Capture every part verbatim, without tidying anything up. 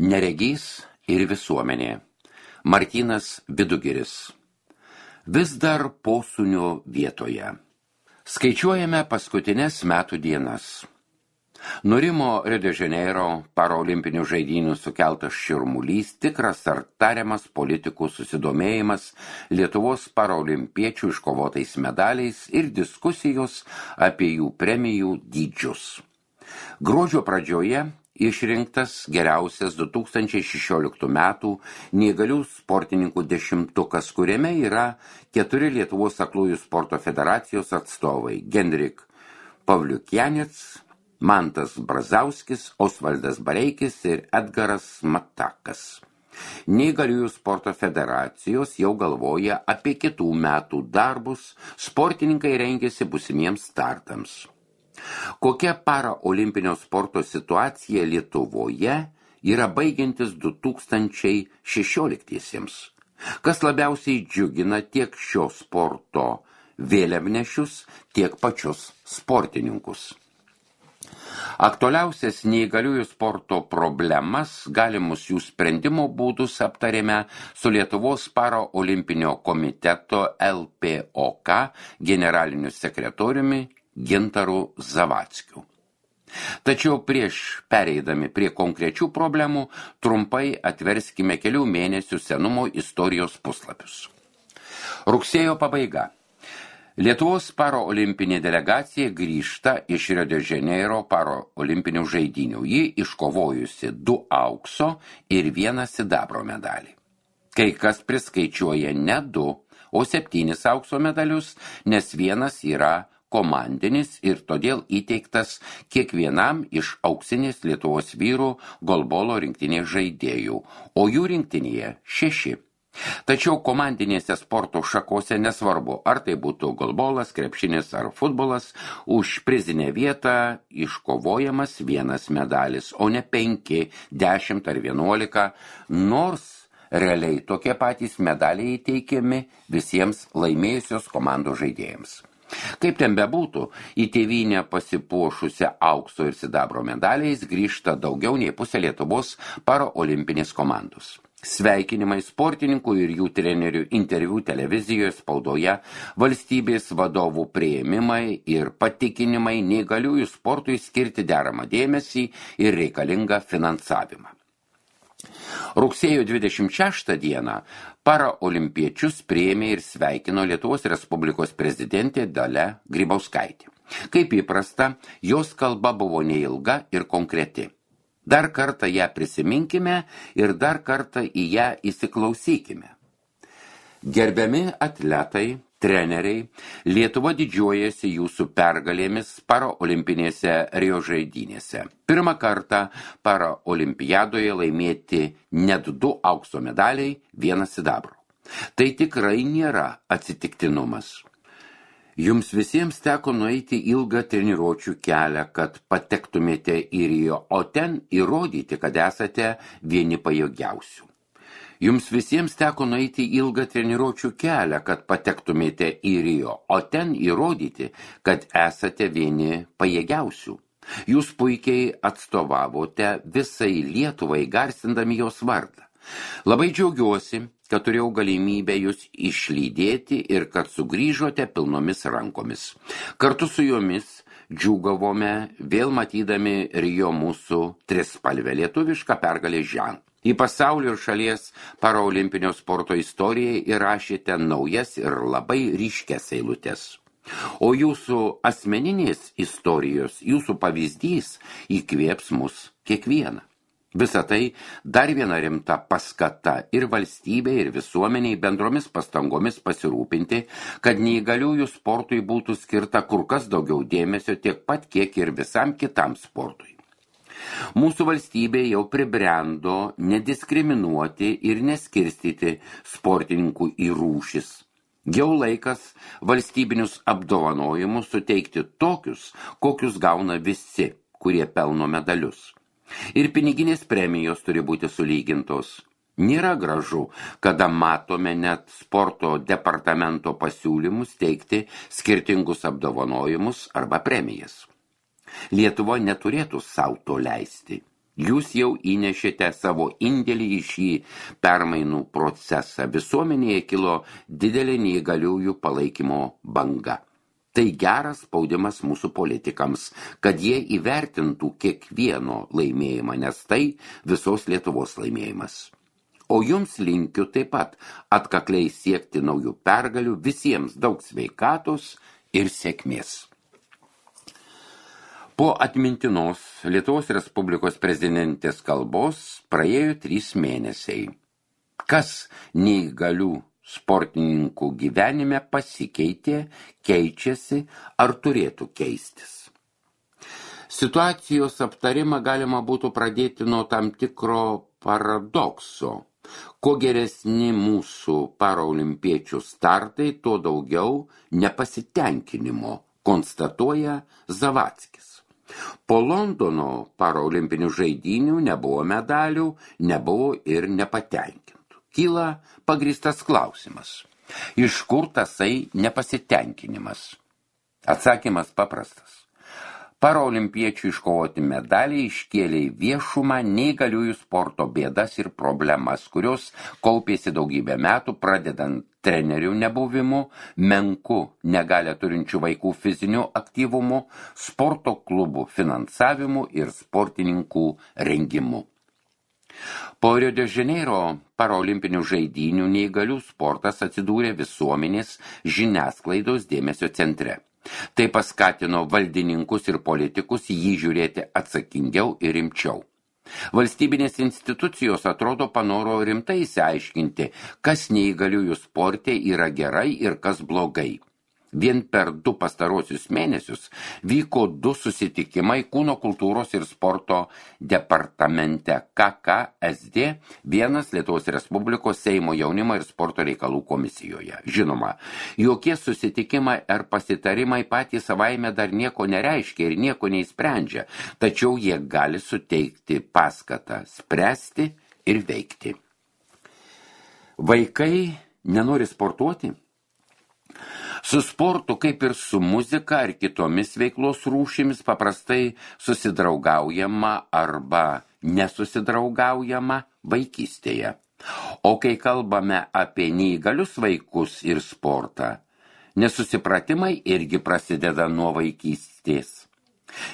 Neregys ir visuomenė. Martynas Vidugiris. Vis dar posūnio vietoje. Skaičiuojame paskutinės metų dienas. Nurimo Rio de Janeiro paraolimpinių žaidynių sukeltas širmulys, tikras ar tariamas politikų susidomėjimas Lietuvos paraolimpiečių iškovotais medaliais ir diskusijos apie jų premijų dydžius. Gruodžio pradžioje išrinktas geriausias du tūkstančiai šešioliktų metų neįgalių sportininkų dešimtukas, kuriame yra keturi Lietuvos aklųjų sporto federacijos atstovai – Gendrik Pavliukianets, Mantas Brazauskis, Osvaldas Bareikis ir Edgaras Matakas. Neįgaliųjų sporto federacijos jau galvoja apie kitų metų darbus, sportininkai rengiasi būsimiems startams. Kokia paraolimpinio sporto situacija Lietuvoje yra baigiantis du tūkstančiai šešioliktiesiems? Kas labiausiai džiugina tiek šio sporto vėliavnešius, tiek pačius sportininkus? Aktualiausias neįgaliųjų sporto problemas, galimus jų sprendimo būdus aptarėme su Lietuvos paraolimpinio komiteto L P O K generaliniu sekretoriumi Gintaru Zavackiu. Tačiau prieš pereidami prie konkrečių problemų, trumpai atverskime kelių mėnesių senumo istorijos puslapius. Rugsėjo pabaiga. Lietuvos paraolimpinė delegacija grįžta iš Rio de Janeiro paraolimpinių žaidynių. Ji iškovojusi du aukso ir vieną sidabro medalį. Kai kas priskaičiuoja ne du, o septynis aukso medalius, nes vienas yra komandinis ir todėl įteiktas kiekvienam iš auksinės Lietuvos vyrų golbolo rinktinės žaidėjų, o jų rinktinėje šeši. Tačiau komandinėse sporto šakose nesvarbu, ar tai būtų golbolas, krepšinis ar futbolas, už prizinę vietą iškovojamas vienas medalis, o ne penki, dešimt ar vienuolika, nors realiai tokie patys medaliai įteikiami visiems laimėjusios komandos žaidėjams. Kaip ten bebūtų, į tėvynę pasipuošusią aukso ir sidabro medaliais grįžta daugiau nei pusė Lietuvos paraolimpinės komandos. Sveikinimai sportininkų ir jų trenerių interviu televizijoje, spaudoje, valstybės vadovų priėmimai ir patikinimai neįgaliųjų sportui skirti deramą dėmesį ir reikalingą finansavimą. Rugsėjo dvidešimt šeštą dieną paraolimpiečius priėmė ir sveikino Lietuvos Respublikos prezidentė Dalia Grybauskaitė. Kaip įprasta, jos kalba buvo neilga ir konkreti. Dar kartą ją prisiminkime ir dar kartą į ją įsiklausykime. Gerbiami atletai, treneriai, Lietuva didžiuojasi jūsų pergalėmis paraolimpinėse Rio žaidynėse. Pirmą kartą paraolimpiadoje laimėti net du aukso medaliai, vienas sidabro. Tai tikrai nėra atsitiktinumas. Jums visiems teko nueiti ilgą treniruočių kelią, kad patektumėte į Rio, o ten įrodyti, kad esate vieni pajėgiausių. Jums visiems teko nueiti ilgą treniruočių kelią, kad patektumėte į Rio, o ten įrodyti, kad esate vieni pajėgiausių. Jūs puikiai atstovavote visai Lietuvai, garsindami jos vardą. Labai džiaugiuosi, kad turėjau galimybę jūs išlydėti ir kad sugrįžote pilnomis rankomis. Kartu su jomis džiūgavome vėl matydami Rio mūsų trispalvę lietuvišką pergalės ženklą. Į pasaulio ir šalies paraolimpinio sporto istorijai įrašėte naujas ir labai ryškias eilutes. O jūsų asmeninės istorijos, jūsų pavyzdys įkvėps mus kiekvieną. Visa tai dar viena rimta paskata ir valstybė, ir visuomeniai bendromis pastangomis pasirūpinti, kad neįgaliųjų sportui būtų skirta kur kas daugiau dėmesio tiek pat, kiek ir visam kitam sportui. Mūsų valstybė jau pribrendo nediskriminuoti ir neskirstyti sportininkų į rūšis. Jau laikas valstybinius apdovanojimus suteikti tokius, kokius gauna visi, kurie pelno medalius. Ir piniginės premijos turi būti sulygintos. Nėra gražu, kada matome net sporto departamento pasiūlymus teikti skirtingus apdovanojimus arba premijas. Lietuva neturėtų sau to leisti. Jūs jau įnešėte savo indėlį į šį permainų procesą. Visuomenėje kilo didelė neįgaliųjų palaikymo banga. Tai geras spaudimas mūsų politikams, kad jie įvertintų kiekvieno laimėjimą, nes tai visos Lietuvos laimėjimas. O jums linkiu taip pat atkakliai siekti naujų pergalių, visiems daug sveikatos ir sėkmės. Po atmintinos Lietuvos Respublikos prezidentės kalbos praėjo trys mėnesiai. Kas neįgalių sportininkų gyvenime pasikeitė, keičiasi ar turėtų keistis? Situacijos aptarimą galima būtų pradėti nuo tam tikro paradokso. Kuo geresni mūsų paraolimpiečių startai, tuo daugiau nepasitenkinimo, konstatuoja Zavackis. Po Londono paraolimpinių žaidynių nebuvo medalių, nebuvo ir nepatenkintų. Kyla pagrįstas klausimas. Iš kur tasai nepasitenkinimas? Atsakymas paprastas. Paraolimpiečių iškovoti medaliai iškėlė į viešumą neįgaliųjų sporto bėdas ir problemas, kurios kaupėsi daugybę metų, pradedant trenerių nebuvimu, menku negalę turinčių vaikų fiziniu aktyvumu, sporto klubų finansavimu ir sportininkų rengimu. Po Rio de Janeiro paraolimpinių žaidynių neįgalių sportas atsidūrė visuomenės žiniasklaidos dėmesio centre. Tai paskatino valdininkus ir politikus jį žiūrėti atsakingiau ir rimčiau. Valstybinės institucijos atrodo panoro rimtai išsiaiškinti, kas neįgaliųjų sporte yra gerai ir kas blogai. Vien per du pastarosius mėnesius vyko du susitikimai Kūno kultūros ir sporto departamente K K S D, vienas Lietuvos Respublikos Seimo jaunimo ir sporto reikalų komisijoje. Žinoma, jokie susitikimai ar pasitarimai patys savaime dar nieko nereiškia ir nieko neįsprendžia, tačiau jie gali suteikti paskatą spręsti ir veikti. Vaikai nenori sportuoti? Su sportu, kaip ir su muzika ar kitomis veiklos rūšimis, paprastai susidraugaujama arba nesusidraugaujama vaikystėje. O kai kalbame apie neįgalius vaikus ir sportą, nesusipratimai irgi prasideda nuo vaikystės.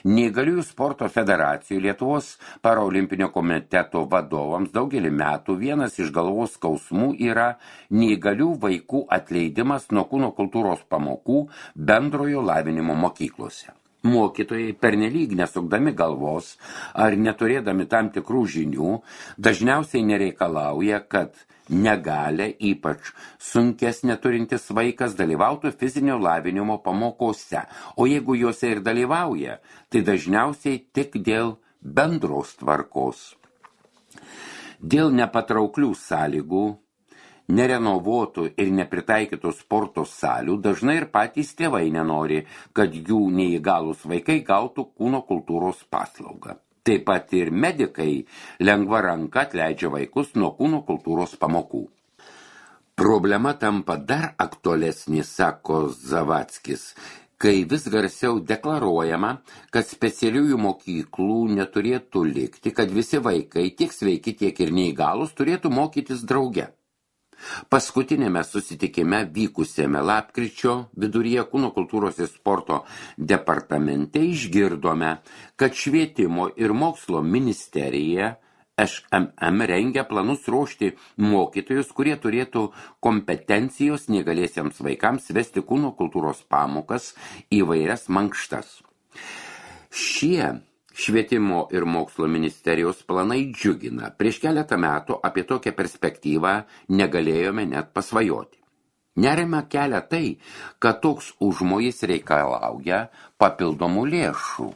Neįgaliųjų sporto federacijų Lietuvos paraolimpinio komiteto vadovams daugelį metų vienas iš galvos skausmų yra neįgalių vaikų atleidimas nuo kūno kultūros pamokų bendrojo lavinimo mokyklose. Mokytojai pernelyg nesukdami galvos ar neturėdami tam tikrų žinių dažniausiai nereikalauja, kad negalę, ypač sunkes neturintis vaikas dalyvautų fizinio lavinimo pamokose, o jeigu juose ir dalyvauja, tai dažniausiai tik dėl bendros tvarkos. Dėl nepatrauklių sąlygų, nerenovuotų ir nepritaikytų sporto salių dažnai ir patys tėvai nenori, kad jų neįgalūs vaikai gautų kūno kultūros paslaugą. Taip pat ir medikai lengva ranka atleidžia vaikus nuo kūno kultūros pamokų. Problema tampa dar aktualesnė, sako Zavackis, kai vis garsiau deklaruojama, kad specialiųjų mokyklų neturėtų likti, kad visi vaikai, tiek sveiki, tiek ir neįgalūs, turėtų mokytis drauge. Paskutinėme susitikime vykusiame lapkričio viduryje Kūno kultūros ir sporto departamente išgirdome, kad švietimo ir mokslo ministerija Š M M rengia planus ruošti mokytojus, kurie turėtų kompetencijos neįgaliesiems vaikams vesti kūno kultūros pamokas įvairias mankštas. Šie Švietimo ir mokslo ministerijos planai džiugina. Prieš keletą metų apie tokią perspektyvą negalėjome net pasvajoti. Nerima kelia tai, kad toks užmojis reikalauja papildomų lėšų.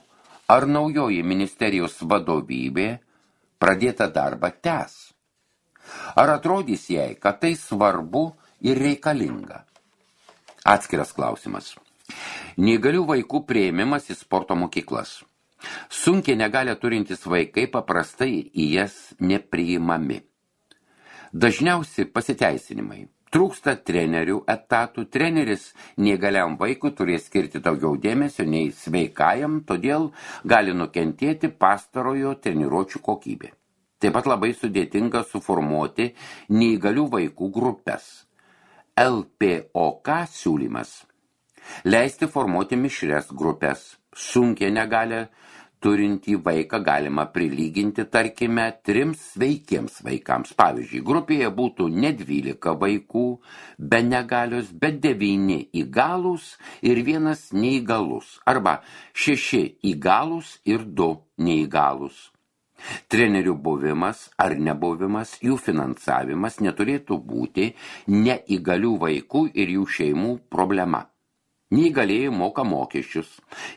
Ar naujoji ministerijos vadovybė pradėta darbą tęs? Ar atrodys jai, kad tai svarbu ir reikalinga? Atskiras klausimas. Neįgalių vaikų priėmimas į sporto mokyklas. Sunkiai negalę turintys vaikai paprastai į jas nepriimami. Dažniausi pasiteisinimai. Trūksta trenerių etatų, treneris neįgaliam vaikui turės skirti daugiau dėmesio nei sveikajam, todėl gali nukentėti pastarojo treniruočių kokybė. Taip pat labai sudėtinga suformuoti neįgalių vaikų grupės. L P O K siūlymas – leisti formuoti mišrias grupės, sunkiai negalę turintį vaiką galima prilyginti, tarkime, trims sveikiems vaikams. Pavyzdžiui, grupėje būtų ne dvylika vaikų be negalios, bet devyni įgalūs ir vienas neįgalus, arba šeši įgalūs ir du neįgalūs. Trenerių buvimas ar nebuvimas, jų finansavimas neturėtų būti neįgalių vaikų ir jų šeimų problema. Neįgalieji moka mokesčius.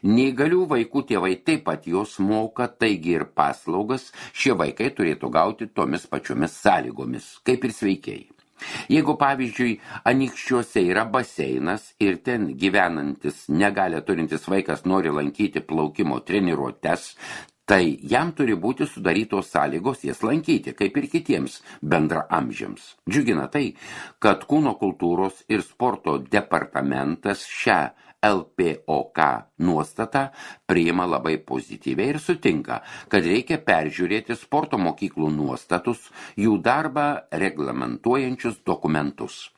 Neįgalių vaikų tėvai taip pat jos moka, taigi ir paslaugas šie vaikai turėtų gauti tomis pačiomis sąlygomis, kaip ir sveikieji. Jeigu, pavyzdžiui, Anykščiuose yra baseinas ir ten gyvenantis negalę turintis vaikas nori lankyti plaukimo treniruotes, tai jam turi būti sudarytos sąlygos jas lankyti, kaip ir kitiems bendraamžiams. Džiugina tai, kad Kūno kultūros ir sporto departamentas šią L P O K nuostatą priima labai pozityviai ir sutinka, kad reikia peržiūrėti sporto mokyklų nuostatus, jų darbą reglamentuojančius dokumentus.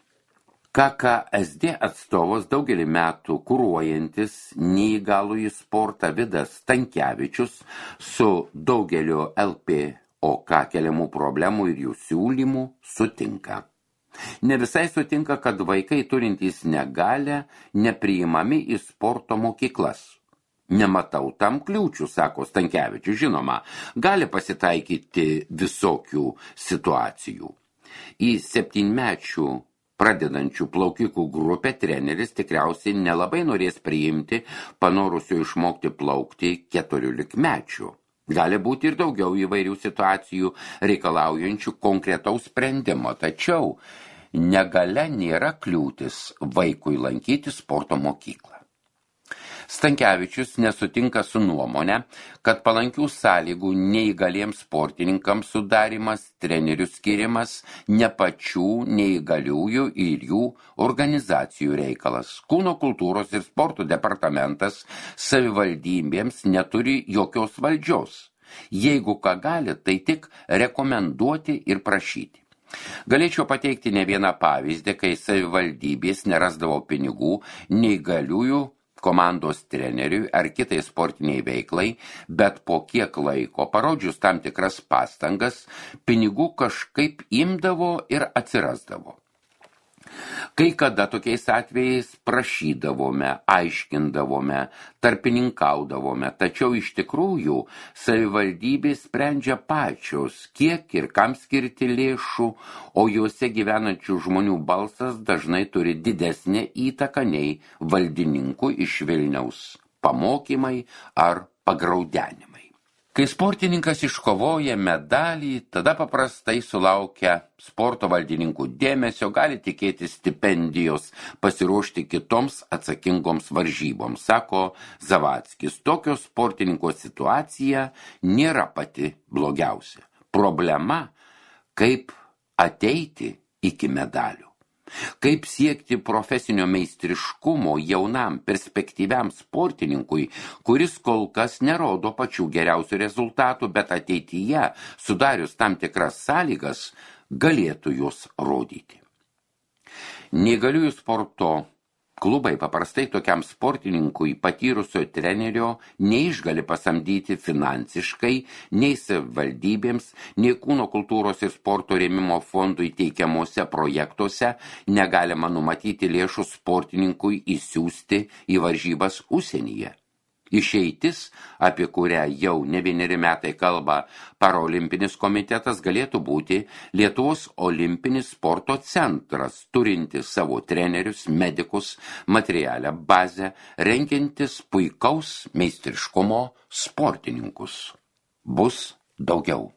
K K S D atstovas daugelį metų kuruojantis neįgalųjį sportą Vidas Stankevičius su daugeliu L P O K keliamų problemų ir jų siūlymų sutinka. Ne visai sutinka, kad vaikai turintys negalią nepriimami į sporto mokyklas. Nematau tam kliūčių, sako Stankevičius, žinoma, gali pasitaikyti visokių situacijų. Į septynmečių pradedančių plaukikų grupę treneris tikriausiai nelabai norės priimti panorusių išmokti plaukti keturiolikmečių. Gali būti ir daugiau įvairių situacijų reikalaujančių konkretaus sprendimo, tačiau negalia nėra kliūtis vaikui lankyti sporto mokyklą. Stankevičius nesutinka su nuomonė, kad palankių sąlygų neįgaliems sportininkams sudarimas, trenerių skirimas ne pačių neįgaliųjų ir jų organizacijų reikalas. Kūno kultūros ir sporto departamentas savivaldybėms neturi jokios valdžios. Jeigu ką gali, tai tik rekomenduoti ir prašyti. Galėčiau pateikti ne vieną pavyzdį, kai savivaldybės nerasdavo pinigų neįgaliųjų komandos treneriui ar kitai sportiniai veiklai, bet po kiek laiko, parodžius tam tikras pastangas, pinigų kažkaip imdavo ir atsirasdavo. Kai kada tokiais atvejais prašydavome, aiškindavome, tarpininkaudavome, tačiau iš tikrųjų savivaldybės sprendžia pačios, kiek ir kam skirti lėšų, o juose gyvenančių žmonių balsas dažnai turi didesnę įtaką nei valdininkų iš Vilniaus pamokymai ar pagraudenimai. Kai sportininkas iškovoja medalį, tada paprastai sulaukia sporto valdininkų dėmesio, gali tikėti stipendijos, pasiruošti kitoms atsakingoms varžyboms, sako Zavackis. Tokio sportininko situacija nėra pati blogiausia. Problema, kaip ateiti iki medalių. Kaip siekti profesinio meistriškumo jaunam perspektyviam sportininkui, kuris kol kas nerodo pačių geriausių rezultatų, bet ateityje, sudarius tam tikras sąlygas, galėtų juos rodyti. Neįgaliųjų sporto klubai paprastai tokiam sportininkui patyrusio trenerio neišgali pasamdyti finansiškai nei savivaldybėms, nei Kūno kultūros ir sporto rėmimo fondui teikiamuose projektuose negalima numatyti lėšų sportininkui įsiųsti į varžybas užsienyje. Išeitis, apie kurią jau ne vieneri metai kalba Paraolimpinis komitetas, galėtų būti Lietuvos olimpinis sporto centras, turintis savo trenerius, medikus, materialią bazę, rengiantis puikaus meistriškumo sportininkus. Bus daugiau.